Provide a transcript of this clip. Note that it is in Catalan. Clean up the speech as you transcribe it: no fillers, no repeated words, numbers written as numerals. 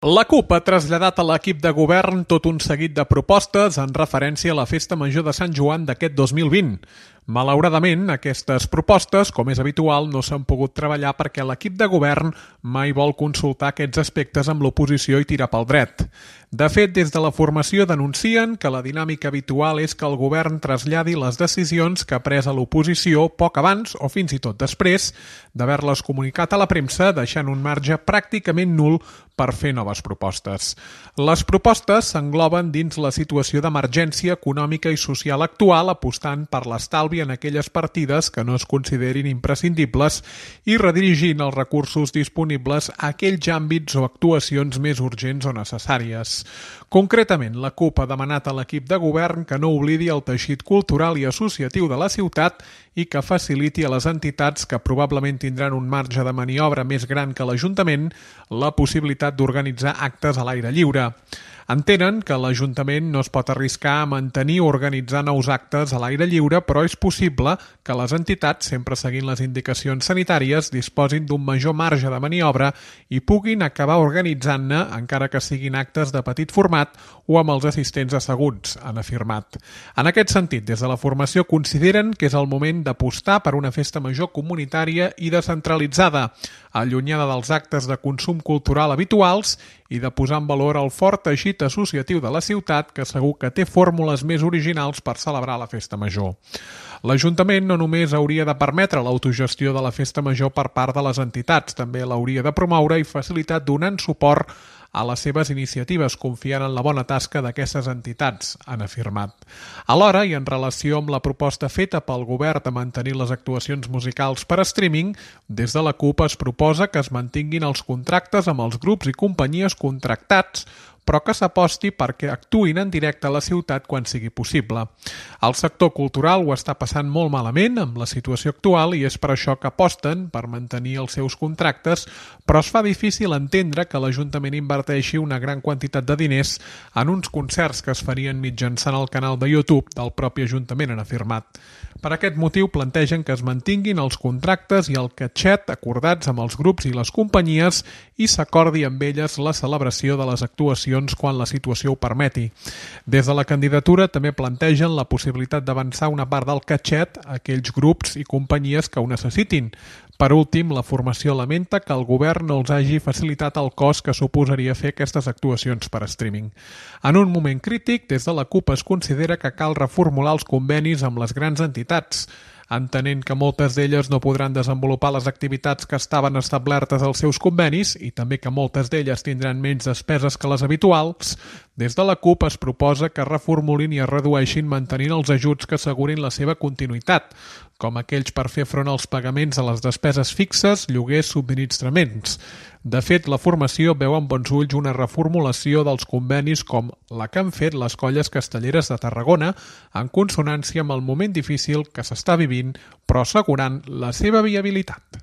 La CUP ha traslladat a l'equip de govern tot un seguit de propostes en referència a la Festa Major de Sant Joan d'aquest 2020. Malauradament, aquestes propostes, com és habitual, no s'han pogut treballar perquè l'equip de govern mai vol consultar aquests aspectes amb l'oposició i tirar pel dret. De fet, des de la formació denuncien que la dinàmica habitual és que el govern traslladi les decisions que ha pres a l'oposició poc abans o fins i tot després d'haver-les comunicat a la premsa, deixant un marge pràcticament nul per fer noves propostes. Les propostes s'engloben dins la situació d'emergència econòmica i social actual, apostant per l'estalvi en aquelles partides que no es considerin imprescindibles i redirigint els recursos disponibles a aquells àmbits o actuacions més urgents o necessàries. Concretament, la CUP ha demanat a l'equip de govern que no oblidi el teixit cultural i associatiu de la ciutat i que faciliti a les entitats que probablement tindran un marge de maniobra més gran que l'Ajuntament la possibilitat d'organitzar actes a l'aire lliure. Entenen que l'Ajuntament no es pot arriscar a mantenir o organitzar nous actes a l'aire lliure, però és possible que les entitats, sempre seguint les indicacions sanitàries, disposin d'un major marge de maniobra i puguin acabar organitzant-ne, encara que siguin actes de petit format o amb els assistents asseguts, han afirmat. En aquest sentit, des de la formació consideren que és el moment d'apostar per una festa major comunitària i descentralitzada, allunyada dels actes de consum cultural habituals i de posar en valor el fort teixit associatiu de la ciutat que segur que té fórmules més originals per celebrar la festa major. L'Ajuntament no només hauria de permetre l'autogestió de la festa major per part de les entitats, també l'hauria de promoure i facilitar donant suport a les seves iniciatives, confiant en la bona tasca d'aquestes entitats, han afirmat. Alhora, i en relació amb la proposta feta pel govern de mantenir les actuacions musicals per streaming, des de la CUP es proposa que es mantinguin els contractes amb els grups i companyies contractats, però que s'aposti perquè actuïn en directe a la ciutat quan sigui possible. El sector cultural ho està passant molt malament amb la situació actual i és per això que aposten per mantenir els seus contractes, però es fa difícil entendre que l'Ajuntament inverteixi una gran quantitat de diners en uns concerts que es farien mitjançant el canal de YouTube del propi Ajuntament, han afirmat. Per aquest motiu plantegen que es mantinguin els contractes i el catxet acordats amb els grups i les companyies i s'acordi amb elles la celebració de les actuacions quan la situació ho permeti. Des de la candidatura també plantegen la possibilitat d'avançar una part del catxet a aquells grups i companyies que ho necessitin. Per últim, la formació lamenta que el govern no els hagi facilitat el cost que suposaria fer aquestes actuacions per streaming. En un moment crític, des de la CUP es considera que cal reformular els convenis amb les grans entitats, entenent que moltes d'elles no podran desenvolupar les activitats que estaven establertes als seus convenis i també que moltes d'elles tindran menys despeses que les habituals. Des de la CUP es proposa que reformulin i es redueixin mantenint els ajuts que assegurin la seva continuïtat, com aquells per fer front als pagaments a les despeses fixes, lloguers, subministraments. De fet, la formació veu amb bons ulls una reformulació dels convenis com la que han fet les colles castelleres de Tarragona en consonància amb el moment difícil que s'està vivint, però assegurant la seva viabilitat.